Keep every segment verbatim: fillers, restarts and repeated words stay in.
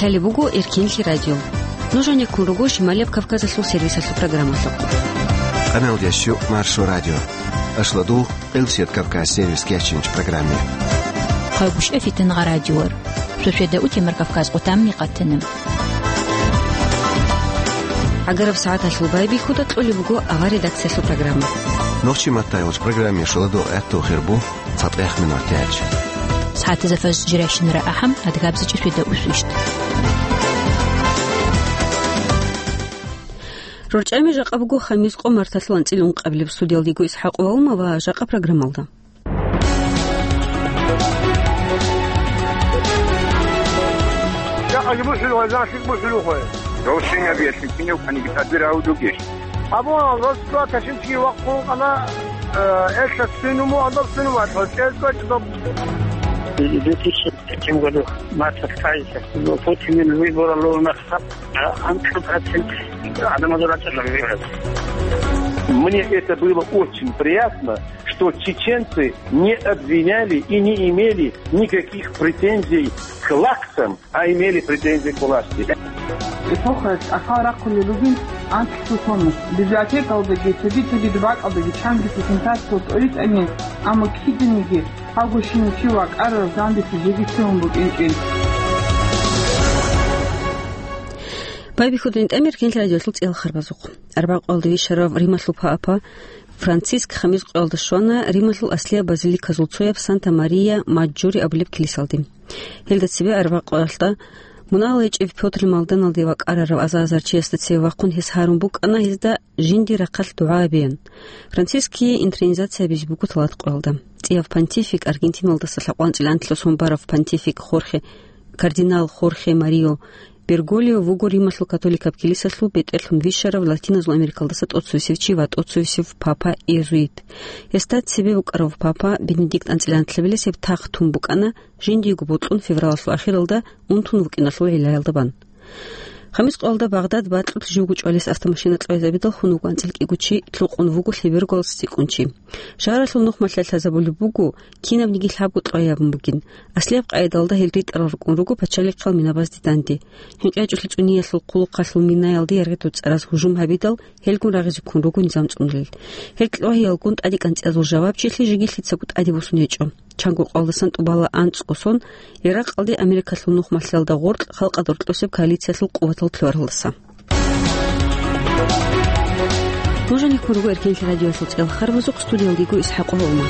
Гьале буго Эркенлъи радио. Нуж гьанеккун руго Шималияб Кавказалъул сервисалъул программалъухъ. Къаналдящу Маршо радио. Ашладу Къилсият Кавказ сервис кечинч программе. Хъагушев Фитангъа радиор. Суседа утемар Кавказ къутамни къатана. ГӀагараб сагӀаталъул байбихьуда кьолеб буго авар редакциялъул программа. Нохчи маттайгъуч программе шуладу гӀатту хирбу. ЦатӀех минутач. СагӀатазда фаз жиращинара ахӀам, адгабзачӀи суда усвищт. РорчӀами жакъа буго хамис къо марталъул анцӀила ункъабилеб. Студиялдего ИсхӀакъ Валума ва жакъа программалда. Жакъаги бухӀулухъе, занлъи бухӀулухъе. Росинабиялъе кинев кваниги тадбир гьавдугищ? Абуна, росдуа ташинчи вахъун къана, э, элъа сунуму, адаб сунуму, атла, чӀезга чӀдаб. В две тысячи третьем году марта вторая, ну, Путин выбора ловна хаб, а, анкл процент, адам азура чӀезга выбирать. Мне это было очень приятно, что чеченцы не обвиняли и не имели никаких претензий к лакцам, а имели претензии к власти. Эпохаялъ ахал рахъулел ругин анкьлъул хьунус. Библиотекалдаги, цоги-цоги дубакалдаги чанги презентациялъ тӀоритӀани, амма киданиги гьавго щинав чи вакӀарараб зандилъи жеги цевун букӀинчӀин. Байбихьудин тӀамир Кенлъи радиолъул цӀел харбазухъ. Арбякъуалда вищарав Рималъул папа Франциск хамис къоялда щвана Рималъул аслияб базиликазул цояб Санта-Мария Маджори абулеб килисалде. Гьелда цебе арбякъуялда мунагьал гьечӀев Пётр Малданалде вакӀарарав аза-азар чиясда цеве вахъун гьес гьарун букӀана гьезда жиндир рахъалъ дугӀа гьабеян. Франциские интронизация гьабизе буго талат къоялда. ЦӀияв понтифик, Аргентиналдаса лъабкъоялда анцӀила анлъго сон барав понтифик Хорхе, кардинал Хорхе Марио Берголио вуго Рималъул католикаб килисалъул бетӀерлъун вищарав Латиназул Америкалдаса тӀоцевесев чи ва тӀоцевесев папа иезуит. Гьесда цебе букӀарав папа Бенедикт анцӀила анлъабилес гьеб тахт тун букӀана, жиндиего бокьун февралалъул ахиралда унтун вукӀиналъул гӀиллаялда бан. Хамис къоялда Багъдад бакьулъ живго чӀвалес автомашина кьвезабидал хун вуго анцӀила кӀиго чи, лъукъун вуго лъеберголас цӀикӀкӀун чи. Шагьаралъул нухмалъ лъазабулеб буго, кинабниги лъабго кьвай абун бугин. Аслияб къайдалда гьел ритӀарал рукӀун руго пачалихъал минабазде данде. ХӀинкъячӀулъи цӀуниялъул хъулухъалъул минаялде яргъи доцӀараз гьужум гьабидал, гьелгун рагъизе ккун руго низам цӀунулел. Гьел кьвагьиялгун тӀаде кӀанцӀиязул жавабчилъи жеги лъицаго тӀаде босун гьечӀо. Чанго къоялдасан тӀубала анцӀго сон Иракъалде Америкалъул нухмалъиялда гъоркь халкъалда рокьосеб коалициялъул къуватал лъугьаралдаса. Нуж гьанеккун руго Эркенлъи радиоялъул цӀел харбазухъ, студиялдего ИсхӀакъ Гьолма.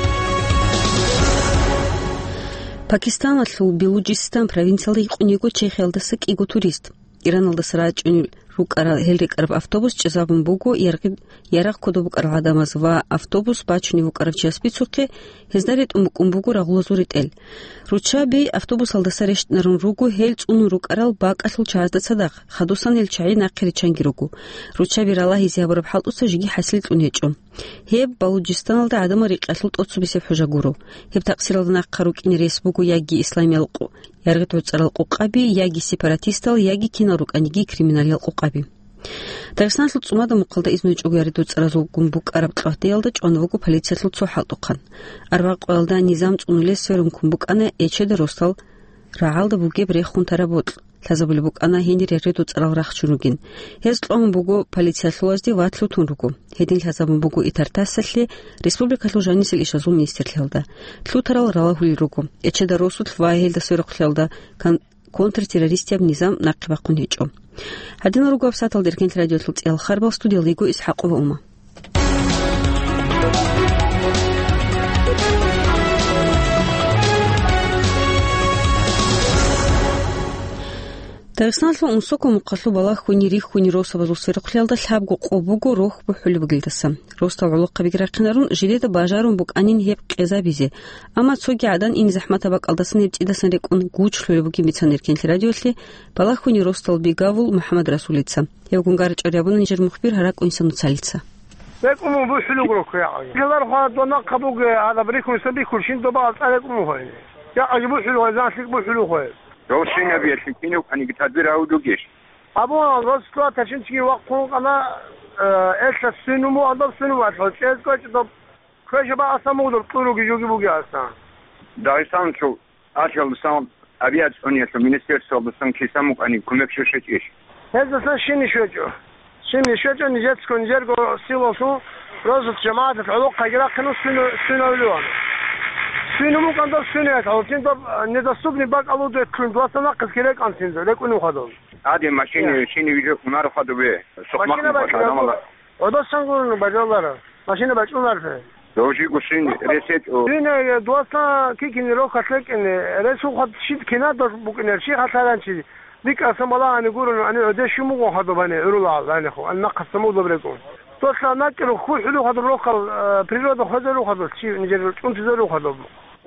Пакистаналъул Белуджистан провинциялда гьикъун йиго Чехиялдаса кӀиго турист. Ираналдаса рачӀунел рукӀарал гьел рекӀараб автобус чӀезабун буго яргъи-, ярагъ кодоб букӀарал гӀадамаз ва автобус бачунев вукӀарав чияс бицухъе, гьезда ретӀун букӀун буго рагъулазул ретӀел. Руччаби автобусалдаса рещтӀинарун руго гьел цӀунун рукӀарал бакӀалъул чагӀазда цадахъ, хадусан гьел чагӀи нахъе риччанги руго. Руччаби ралагьизе гьабураб хӀалтӀуца жеги хӀасил кьун гьечӀо. Гьеб Балуджистаналда гӀадамал рикъиялъул тӀоцебесеб хӀужа гуро. Гьеб такъсиралда нахъа рукӀине рес буго яги исламиял къу-, яргъи доцӀарал къукъаби, яги сепаратистал, яги кинал рукӀаниги криминалиял къукъаби. Дагъистаналъул ЦӀумада мухъалда изну гьечӀого яргъи доцӀаразулгун букӀараб кьватӀиялда чӀван вуго полициялъул цо хӀалтӀухъан. Арбякъуялда низам цӀунулес сверун ккун букӀана Эчеда росдал рагӀалда бугеб рехун тараб бокьа. Лъазабулеб букӀана гьенир яргъи доцӀарал рахчун ругин. Гьез кьван буго полициялъулазде ва лъутун руго. Гьедин лъазабун буго ИТАР-ТАССалъе, республикалъул жанисел ишазул министрлъиялда. Лъутарал ралагьулел руго. Эчеда росулъ ва гьелда сверухълъиялда кон-, контртеррористияб низам нахъе бахъун гьечӀо. Гьадинал руго гьабсагӀаталда Эркенлъи радиоялъул цӀел харбал, студиялда йиго ИсхӀакъ Гьолма. Дагъистаналъул Унсоков мухъалъул балагьуни-рихьуни росабазул сверухълъиялда лъабго къо буго рохь бухӀулеб бугелдаса. Росдал гӀолохъабиги рахъинарун, жидеда бажарун букӀанин гьеб къезабизе. Амма цоги гӀадан ин захӀматаб бакӀалдасан гьеб цӀидасан рекӀун гуч лъолеб бугин бицана Эркенлъи радиоялъе балагьуни росдал бигавул МухӀаммад Расулица. Гьевгун гарчӀвар ябуна нижер мухбир Гьаракь Инсан Нуцалица. БекӀун мун бухӀулуг рухъ, я. Гьелар хвадаб нахъа буго, гьадаб рихьун сабихьулщин доба алцӀа рекӀун мухӀайни. Я, аги бухӀулугъай, занлъик бухӀулухъай. Росинабиялъе кинев кваниги тадбир гьавдугищ? Абуна, росла ташинчиги вахъун къана, э, элъа сунуму, адаб сунуму алъа, чӀезкъо чӀдаб, квешаба аса мугъдаб, кьуруги жуги буги аса. Дагъистанлъул Алъалдасан Гьабият цӀуниялъул министерствоялдасан кисан букӀани кумек щвечӀищ? Гьездасан щине щвечӀо. Щине щвечӀо, нижецго, нижерго силалъун росулъ жамагӀаталъ гӀолохъаги рахъино свино-, свиновлюан. Свину мукӀан доб свиноялъ гьавулцин доб, э, недоступный бакӀ алудетлъун дуаса нахъисги рекӀанцин рекӀунев хадуб. Гьаде машине, я, щине вижо кунарухъа дубе. Сухъмахъ машина мухъа бачӀунарго, гьадамала. ГӀодасан гурони бажалара. Машина бачӀунарфе. Дов жи гусин ресет о. Дуца кикин рохалъ рекӀине, ресухъа щит кинадалъ букӀинел, щихъа лъаранчи. БикӀасан балагьани гурони, ани гӀодеш щумугъун хадубани гӀурулагӀал гӀанихъу, ан нахъасан мудаб рекӀун. Досла накӀкӀарухъ хӀулухъа доб рохал, э, природа хвезарухъа дос, чи нижер чӀунтизарухъа доб.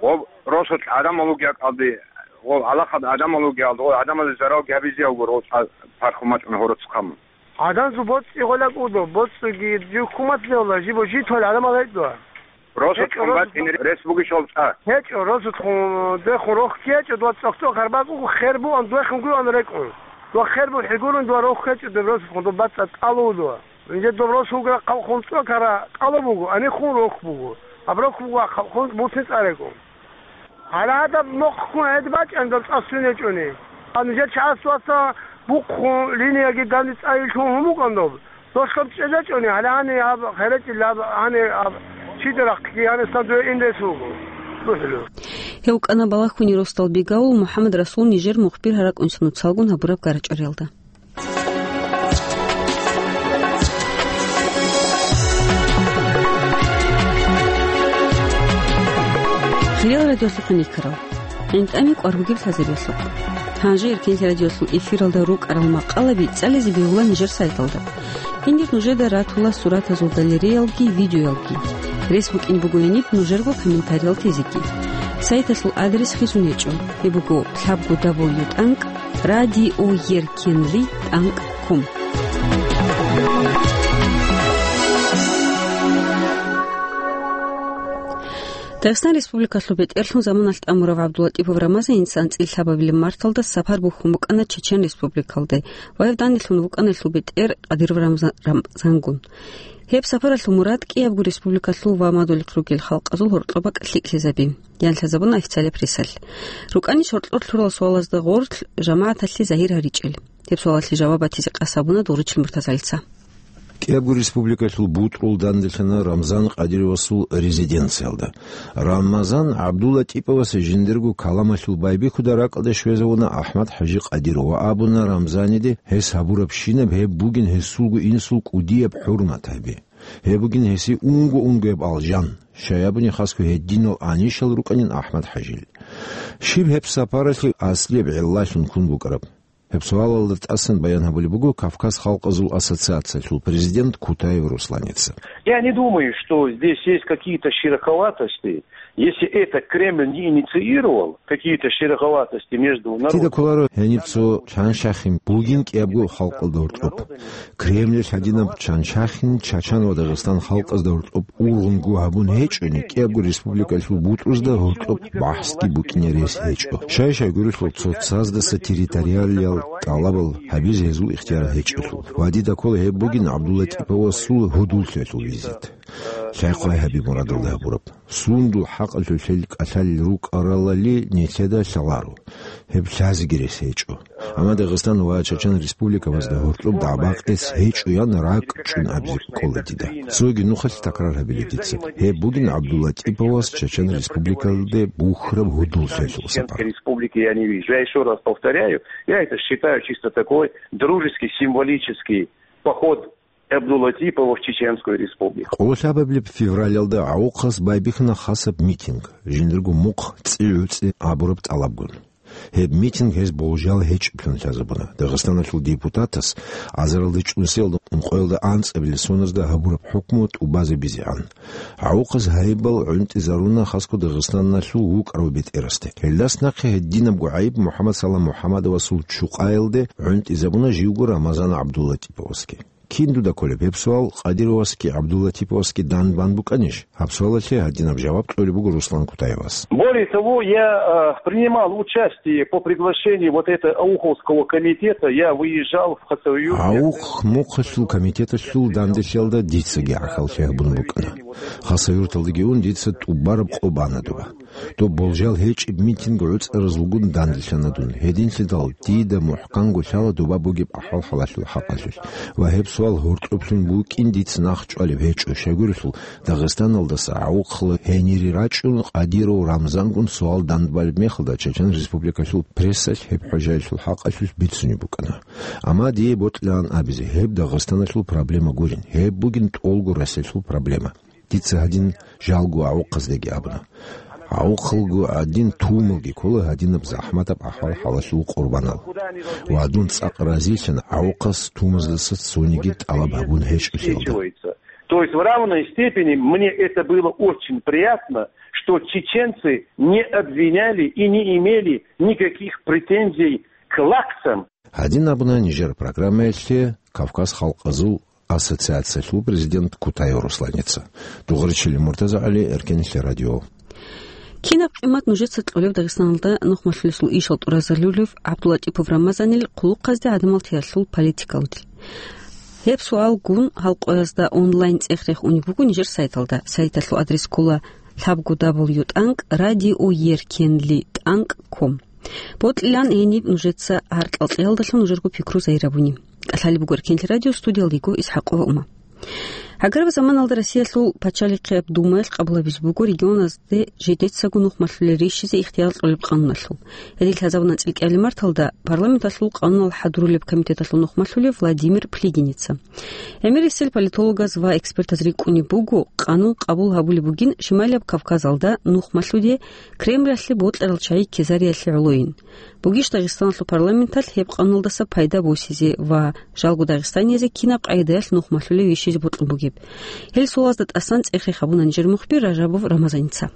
Гъоб росулъ гӀадамал вугев кӀалди, гъоб гьалахъад гӀадамал вугев кӀалди, гъоб гӀадамазе заралги гьабизе гьавгур, гъоб цӀа-, пархумачӀун гьороцхъан. ГӀадан зу боцӀи гъолак удо, боцӀиги жив хъумат левла, жибо житвал гӀадамал гьечӀо. Росулъ гьечӀо, хъумбат росулъ ин рес бугищ гьол цӀа? ГьечӀо, росулъ хъун, дехун рохги гьечӀо, дуа цӀохцӀо карбакӀуго, хер буан, дуехун гуан рекӀун. Дуа хер бу хӀигурун, дуа рохги гьечӀо, деб росулъ хъун, доб бацӀа кӀалув дуа. Инже доб росулгра хъалхун цӀокара кӀалу буго, анихун рохь буго. Гьаб рохь буго хъалхун буцин цӀарего. Гьала гьадаб мохъгун гӀед бачӀан доб цӀа сунечӀони. Ан нижер чагӀасдаса бухъун линияги данде цӀайилъун гьумукӀан доб. Дос гьаб чӀезечӀони, гьала гьани гьаб херечӀил гьаб гьани гьаб чида рахъги гьанисан дуе ин рес вуго. РухӀлу. Гьев вукӀана Балагьуни росдал Бегавул МухӀаммад Расул нижер мухбир гьаракӀунса нуцалгун гьабураб гарачӀариялда. Хириял радиолъухъ никарал. ГӀинтӀами кӀвар бугеб лъазаревлъухъ. Гьанже Эркенлъи радиолъул эфиралда рукӀарал макъалаби цӀализе бегьула нижер сайталда. Гьенир нужеда ратула суратазул галереялги, видеоялги. Рес букӀин буго гьениб нужерго комментариялъ тезеги. Сайталъул адрес хисун гьечӀо. Гьеб буго лъабго дабл ю тӀанкӀ радиоеркенлъи тӀанкӀ ком. Дагъистан Республикалъул бетӀерлъун заманалъ тӀамурав ГӀабдуллатӀипов Рамазаница анцӀила лъабабилеб марталда сапар бухьун букӀана Чечен Республикалде ва гьев данделъун вукӀана гьелъул бетӀер Къадиров Рамза-, Рамзангун. Гьеб сапаралъул мурад кӀиябго республикалъул ва мадулихъ ругел халкъазул гьоркьоб бакӀ лъикӀлъизаби. Ян лъазабуна официалияб прессалъ. РукӀанищ гьоркьор лъурал суалазда гъорлъ жамагӀаталъе загьир гьаричӀел. Гьеб суалалъе жаваб батизе къасд гьабуна Дугъричил Муртазалица. КӀиябго республикалъул бутӀрул данделъана Рамзан Къадировасул резиденциялда. Рамазан ГӀабдуллатӀиповасе жиндирго каламалъул байбихьуда ракӀалде щвезавуна АхӀмад-ХӀажи Къадиров ва абуна Рамзаниде гьес гьабурабщинаб гьеб бугин гьесулго инсул кӀудияб хӀурмат гьаби. Гьеб бугин гьесие унго-унгояб алжан, щай абуни хасго гьединал анищал рукӀанин АхӀмад-ХӀажил. Щиб гьеб сапаралъе аслияб гӀиллалъун ккун букӀараб? Гьеб суалалда тӀасан баян гьабулеб буго Кавказ халкъазул ассоциациялъул президент Кутаев Русланица. Я не думаю, что здесь есть какие-то шероховатости. Если это Кремль не инициировал, какие-то шероховатости между народами. Дида кколаро гьениб цо чаншахин бугин кӀиябго халкъалда гьоркьоб. Кремль гьадинаб чаншахин Чачан ва Дагъистан халкъазда гьоркьоб ургъунго гьабун гьечӀони, кӀиябго республикалъул бутӀрузда гьоркьоб бахӀсги букӀине рес гьечӀо. Щай-щай гурелъул цоцаздаса территориалиял тӀалабал гьабизе гьезул ихтияр гьечӀелъул. Ва дида ккола гьеб бугин ГӀабдуллатӀиповасул гьудуллъиялъул визит. Лъай-хъвай гьаби мурадалда гьабураб. Сундул хӀакъалъулъ гьел кӀалъалел рукӀаралали нилъеда лъаларо. Гьеб лъазеги рес гьечӀо. Амма Дагъистан ва Чачан республикабазда гьоркьоб дагӀба-къец гьечӀоян ракӀчӀун абизе кӀола дида. Цоги нухалъ такрар гьабилеб дица. Гьеб бугин ГӀабдуллатӀиповас Чачан республикалде бухьараб гьудуллъиялъул сапар. Республики я не вижу. Я ещё раз повторяю, я это считаю чисто такой дружеский, символический поход Абдулатипова в Чеченскую Республику. Къоло лъабабилеб февралалда ГӀавухъас байбихьана хасаб митинг, жиндирго мухъ ЦӀи-ГӀуцӀи абураб тӀалабгун. Гьеб митинг гьез болжал гьечӀеблъун лъазабуна. Дагъистаналъул депутатас азаралда чӀунсиялда ункъоялда анцӀабилеб соназда гьабураб хӀукму тӀубазе бизегӀан. ГӀавухъас гьайибал гӀунтӀизаруна хасго Дагъистаналъул вукӀарав бетӀерасде. Гьелдас нахъе гьединабго гӀайиб МухӀаммад Салам МухӀаммадовасул чукъаялде гӀунтӀизабуна живго Рамазан ГӀабдулатиповасги. Кин дуда кколеб гьеб суал, Къадировасги ГӀабдулатиповасги дан бан букӀанищ? Гьаб суалалъе гьадинаб жаваб кьолеб буго Руслан Кутаевас. Более того, я, э, принимал участие по приглашению вот этого Ауховского комитета, я выезжал в Хасавюрт. ГӀавухъ мухъалъул комитеталъул данделъиялда дицаги гӀахьаллъи гьабун букӀана. Хасавюрталдаги ун дица тӀубараб къо бана доба. Доб болжал гьечӀеб митинг гӀуцӀаразулгун данделъана дун. Гьединлъидал дида мухӀканго лъала доба бугеб ахӀвал-хӀалалъул хӀакъалъулъ. Ва гьеб суал гьоркьоблъун букӀин дица нахъ чӀвалеб гьечӀо. Щайгурелъул, Дагъистаналдаса гӀавухъала гьенире рачӀун Къадиров Рамзангун суал дандбалеб мехалда, Чечен Республикалъул прессалъ гьеб хӀужаялъул хӀакъалъулъ бицунеб букӀана. Амма дие бокьилаан абизе, гьеб Дагъистаналъул проблема гурин, гьеб бугин тӀолго Россиялъул проблема. Дица гьадин жалго гӀавухъаздаги абуна. ГӀавухъалго гӀадин тумалги ккола гьадинаб захӀматаб ахӀвал-хӀалалъул къурбанал. Ва дун цӀакъ разилъана гӀавухъас тумаздаса цониги тӀалаб гьабун гьечӀолъиялда. То есть в равной степени мне это было очень приятно, что чеченцы не обвиняли и не имели никаких претензий к лакцам. Гьадин абуна нижер программаялъе Кавказ халкъазул ассоциациялъул президент Кутаев Русланица. Дугъричили Муртаза ГӀали, Эркенлъи радио. Кинаб къимат нужеца кьолеб Дагъистаналда нухмалъулесул ишал тӀуразарулев ГӀабдуллатӀипов Рамазанил хъулухъазде гӀадамал тиялъул политикалде? Гьеб суалгун халкъоязда онлайн цӀех-рех унеб буго нижер сайталда. Сайталъул адрес ккола лъабго дабл ю тӀанкӀ радио еркенли тӀанкӀ ком. Бокьилаан гьениб нужеца гьаркьал кьеялдалъун нужерго пикру загьир гьабуни. КӀалъалеб буго Эркенлъи радио, студиялда йиго ИсхӀакъова Ума. Гьагар заманалда Россиялъул пачалихъияб Думаялъ къабулабизе буго регионазде жидецаго нухмалъулел рищизе ихтияр кьолеб къануналъул. Гьедин лъазабуна анцӀил кӀиабилеб марталда парламенталъул къанунал хӀадурулеб комитеталъул нухмалъулев Владимир Плигиница. ГӀемерисел политологаз ва экспертаз рикӀкӀунеб буго, къанун къабул гьабулеб бугин Шималияб Кавказалда нухмалъуде Кремлалъе бокьарал чагӀи кезариялъе гӀолойин. Бугищ Дагъистаналъул парламенталъ гьеб къануналдаса пайда босизе ва жалго дагъистаниязе кинаб къагӀидаялъ нухмалъулев вищизе бокьун бугеб? Гьел суалазда тӀасан цӀех-рех гьабуна нижер мухбир Ражабов Рамазаница.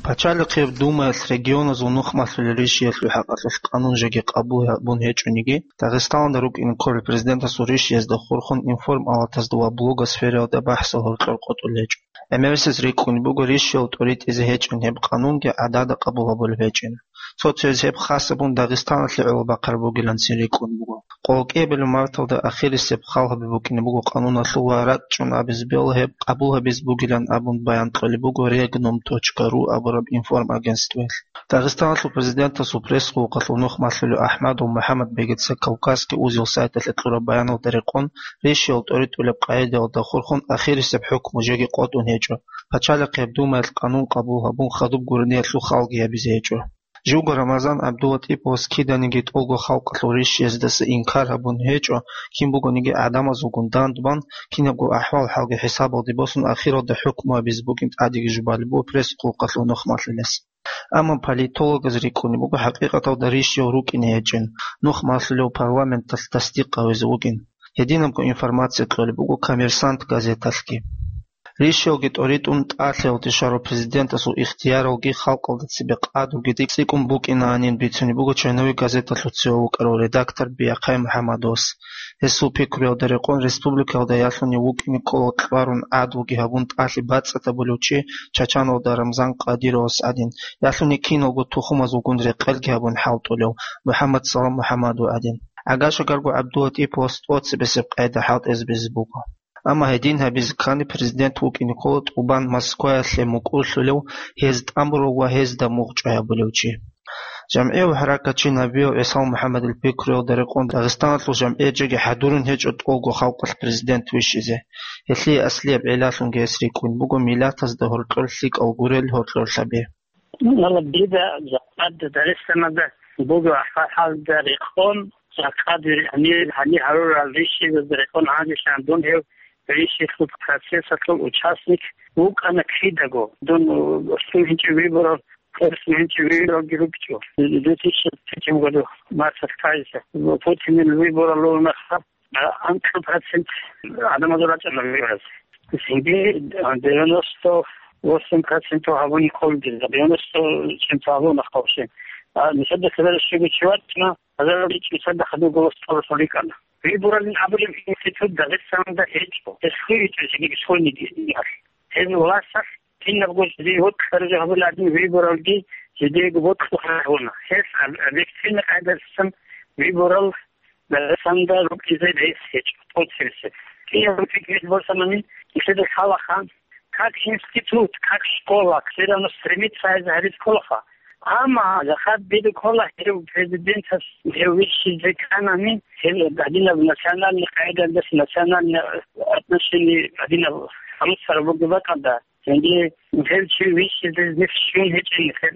Пачалихъияб Думаялъ регионазул нухмалъулел рищиялъул хӀакъалъулъ къанун жеги къабул гьабун гьечӀониги, Дагъистаналда рукӀине кколел президентасул рищиязда хурхун информалатазда ва блогосфераялда бахӀсал гьоркьор къотӀулел гьечӀо. ГӀемерисез рикӀкӀунеб буго рищиял тӀоритӀизе гьечӀин гьеб къанунги гӀадада къабул гьабулеб гьечӀин. Цо-цояз гьеб хасабун Дагъистаналъе гӀоло бахъараб бугиланцин рикӀкӀунеб буго. Къоло кӀиабилеб марталда ахирисеб хал гьабиб букӀине буго къануналъул ва рачӀчӀун абизе бегьула гьеб къабул гьабизе бугилан абун баян кьолеб буго регнум точка ру абураб информагентствоялъ. Дагъистаналъул президентасул пресс-хъулухъалъул нухмалъулев АхӀмадов МухӀаммадбегица Кавказский узел сайталъе кьураб баяналда рекъон, рищиял тӀоритӀулеб къагӀидаялда хурхун ахирисеб хӀукму жеги къотӀун гьечӀо. Пачалихъияб Думаялъ къанун къабул гьабун хадуб гурониялъул халги гьабизе гьечӀо. Живго Рамазан ГӀабдулатӀиповас киданиги тӀолго халкъалъул рищияздаса инкар гьабун гьечӀо, кин бугониги гӀадамазулгун дандбан, кинабго ахӀвал-хӀалги хӀисабалде босун, ахиралда хӀукму гьабизе бугин тӀадеги жубалеб буго пресс-хъулухъалъул нухмалъулес. Амма политологаз рикӀкӀунеб буго хӀакъикъаталда рищиял рукӀине гьечӀин, нухмалъулев парламенталъ тасдикъ гьавизе вугин. Гьединабго информация кьолеб буго Коммерсант газеталъги. Рищиялги тӀоритӀун тӀалъиялде щварав президентасул ихтияралги халкъалда цебе къадруги цӀикӀкӀун букӀинаанин бицунеб буго Чайновик газеталъуцев вукӀарав редактор Биахъай МухӀаммадовас. Гьесул пикруялда рекъон республикаялда ялъунев вукӀине ккола кьварун гӀадлуги гьабун тӀалъи бацӀцӀад гьабулев чи Чачаналда Рамзан Къадировас гӀадин, ялъуне киналго тухумазулгун рекъелги гьабун хӀалтӀулев МухӀаммадсалам МухӀаммадов гӀадин. ГӀагашагарго ГӀабдулатӀиповас тӀоцебесеб къайда хӀалтӀизабизе буго. Амма гьедин гьабизе ккани, президент вукӀине ккола тӀубан Москваялъе мукӀурлъулев, гьез тӀамурав ва гьезда мугъчӀвай гьабулев чи. ЖамгӀияв хӀаракатчи Набиев ГӀисал МухӀаммадил пикруялда рекъон Дагъистаналъул жамгӀият жеги хӀадурун гьечӀо тӀолго халкъалъ президент вищизе. Гьелъие аслияб гӀиллалъунги гьес рикӀкӀун буго миллатазда гьоркьор лъикӀал гурел гьоркьор лъабе. Гьалаб дида жакъа Дагъистаналда бугеб ахӀвал-хӀалда рекъон, жакъа дир гьанир гьанир гьарурал рищиялда рекъон гьанжелъан дун гьев рищиялъул процессалъул участник вукӀана кидаго. Дун лъугьинчӀев выборал, тӀоцебе лъугьинчӀев выборалги рукӀчӀо. Две тысячи третьем году марталъ кканилъа Путинил выборалъул мехалъ анкьаб процент гӀадамазул рачӀана вибораз. Цинги девяносто восемь процентов гьабуни кколги, девяносто процентов гьабуна хъалчи. А нилъеда хирарав щивав чи вачӀана, гьазараличӀи цадахъ гьадин голос цӀалулъун рикӀкӀана. Выборалин абулеб институт Дагъистаналда гьечӀо. Гьес хвейчӀо жиги бихьулниги. Гьез власталъ кинабго жиде вокьарав гьабулеб гӀадин выборалги жидеего бокьухъе гьабуна. Гьес об-, объективный къайдасан выборал Дагъистанда рукӀизе рес гьечӀо, тӀоцебесеб. Киявго пикру босанани, нилъеда лъалаха, как институт, как школа, все равно стремится гьаризе кколаха. Амма захар бедуккола гьев президентас гьев вищизе кканани, гьев гьадинаб национальный къагӀидалдаса национальный отношение гьадинаб гьалусараб бугеб бакӀалда, гьенде гьев чи вищизе нилъ щун гьечӀин, нилъер,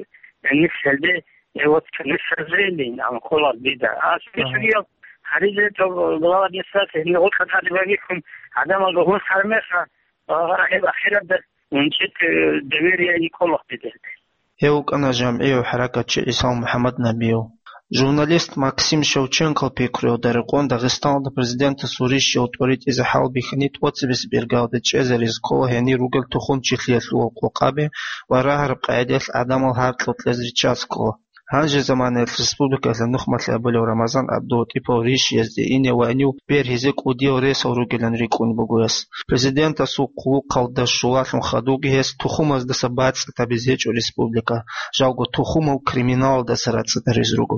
нилъ гьелде, э, вот, нилъ разрелин, ан ккола дида. А спецугел гьаризе то глава администрации гьенде гъоркьа тӀаде бабихьун, гӀадамал ругьун хармеха, а, гьеб ахирабда унчӀит, э, доверие ккола дида. Гьев вукӀана жамгӀияв хӀаракатчи ГӀисал МухӀаммад Набиев. Журналист Максим Шевченкол пикруялда рекъон Дагъистаналда президентасул рищиял тӀоритӀизе хӀалбихьани тӀоцебесеб иргаялда чӀезаризе ккола гьенир ругел тухумчилъиялъул къокъаби ва рагьараб къагӀидаялъ гӀадамал гьаркьал кьезе риччазе ккола. Гьанже заманаялъ республикаялъул нухмалъи абулев Рамазан ГӀабдулатӀипов рищиязде ине ва гьенив бергьизе кӀудиял ресал ругилан рикӀкӀун буго гьес. Президентасул хъулухъалда щулалъун хадубги гьес тухумаздаса бацӀцӀадабизе гьечӀо республика, жалго тухумав криминалалдаса рацӀцӀадаризе руго.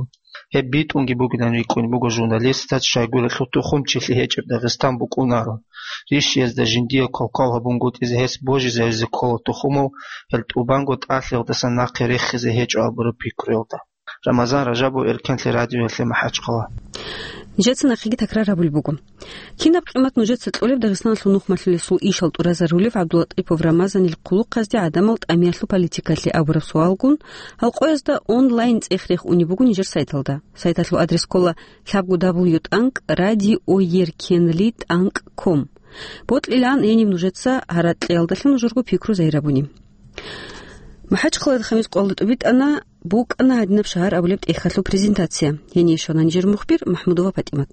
Гьеб битӀунги бугилан рикӀкӀун буго журналистаз щайгурелъул тухумчилъи гьечӀеб Дагъистан букӀунаро. Рищиязда жиндие квалквал гьабунгутӀизе гьес божизаризе ккола тухумав, гьел тӀубанго тӀалъиялдаса нахъе рехизе гьечӀо абураб пикруялда. Рамазан Ражабов, Эркенлъи радиоялъе МахӀачхъала. Нижеца нахъеги такрар гьабулеб буго. Кинаб къимат нужеца кьолеб Дагъистаналъул нухмалъулесул ишал тӀуразарулев ГӀабдулатӀипов Рамазанил хъулухъазде гӀадамал тӀамиялъул политикалъе абураб суалгун, гьал къоязда онлайн цӀех-рех унеб буго нижер сайталда. Сайталъул адрес ккола лъабго дабл ю тӀанкӀ радиоеркенлъи тӀанкӀ ком. Бокьилаан гьениб нужеца гьаракьиялдалъун нужерго пикру загьирабуни. МахӀачхъалада хамис къоялда тӀубитӀана, букӀана гьадинаб шагьар абулеб тӀехьалъул презентация. Гьение щвана нижер мухбир МахӀмудова ПатӀимат.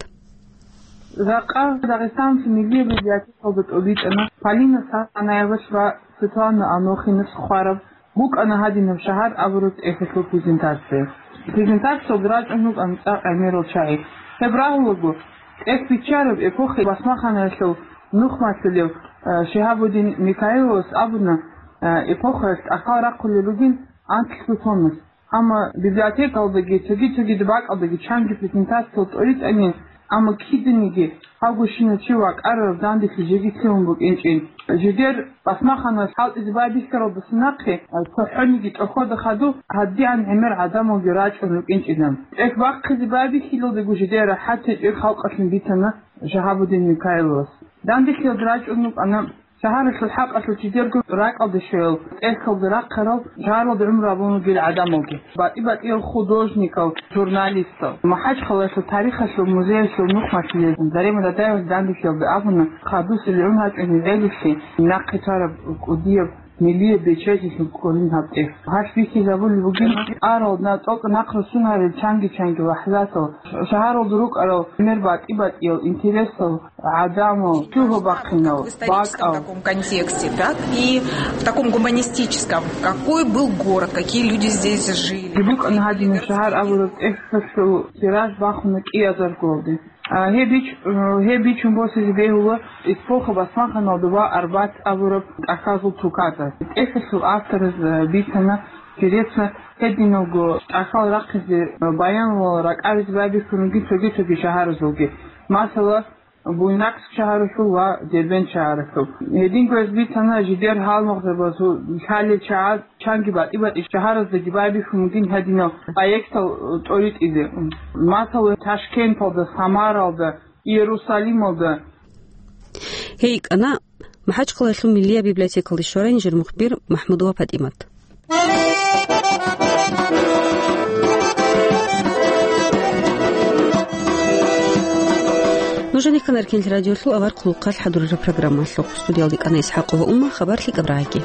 Жакъа Дагъистаналъул милли библиотекалда тӀубитӀана Полина Санаевас ва Светлана Анохинас хъвараб букӀана гьадинаб шагьар абураб тӀехьалъул презентация. Презентациялда рачӀун рукӀана цӀакъ гӀемерал чагӀи. Гьеб рагьулаго, тӀехь биччараб эпохаялъ басмаханаялъул нухмалъулев, э, Шигьабуддин Микаиловас абуна, э, эпохаялъ тӀахьал рахъулел ругин анкьго томас. Амма библиотекалдаги, цоги-цогидаб бакӀалдаги чанги презентациялъ тӀоритӀани, амма киданиги гьавгощинав чи вакӀарараб данделъи жеги лъугьун букӀинчӀин. Жидер басмаханалъ хӀалтӀизе байбихьаралдаса нахъе, цохӀониги тӀохьода хадуб, гьадигӀан гӀемер гӀадамалги рачӀун рукӀинчӀилан. ТӀехь бахъизе байбихьилалдаго жидер рахӀат гьечӀеб халкъалъин бицана Шигьабуддин Микаиловас. Данделъиялда рачӀун рукӀана шагьаралъул хӀакъалъулъ жидерго ракӀалде щвел, тӀехьалда рахъарал, шагьаралда гӀумру гьабун ругел гӀадамалги, батӀи-батӀиял художникал, журналистал. МахӀачхъалаялъул тарихалъул музеялъул нухмалъулел Зарема Дадаевас данделъиялда абуна, хадусел гӀун гьачӀун гьеб гӀелилъи нахъе тараб кӀудияб миллияб бечелъиялъул кколин гьаб тӀехь. Гьалъ бихьизабулеб бугин арал на тӀокӀ нахъ руссун гьарил чанги-чанги лахӀзатал, шагьаралда рукӀарал гӀемер батӀи-батӀиял интересал, гӀадамал, чӀужу бахъинал, бакӀал. В историческом таком контексте, так и в таком гуманистическом. Какой был город, какие люди здесь жили. БукӀана гьадинаб шагьар абураб тӀехьалъул тираж бахуна кӀиазарго. А, гьеб бич-, э, гьеб бичун босизе бегьула эпоха басмаханалда ва Арбат абураб тӀахьазул тукада. ТӀехьалъул автораз, э, бицана, интересно, гьединалго тӀахьал рахъизе, э, баянвал ракӀаризе байбихьун ругин цоги-цоги шагьаразулги. Масала, Буйнакск шагьаралъул ва Дербент шагьаралъул. Гьединго гьез бицана жидер гьалмагъзабазул лъалел чагӀаз чанги батӀи-батӀи шагьараздаги байбихьун бугин гьадинал проектал тӀоритӀизе. Масала, Ташкенталда, Самаралда, Иерусалималда. Гьей йикӀана МахӀачхъалаялъул миллияб библиотекалде щварай нижер мухбир МахӀмудова ПатӀимат. Нуж гьанихъан Эркенлъи радиолъул авар хъулухъалъ хӀадурараб программалъухъ. Студиялда йикӀана ИсхӀакъова Умма, хабар лъикӀаб рагӀаги.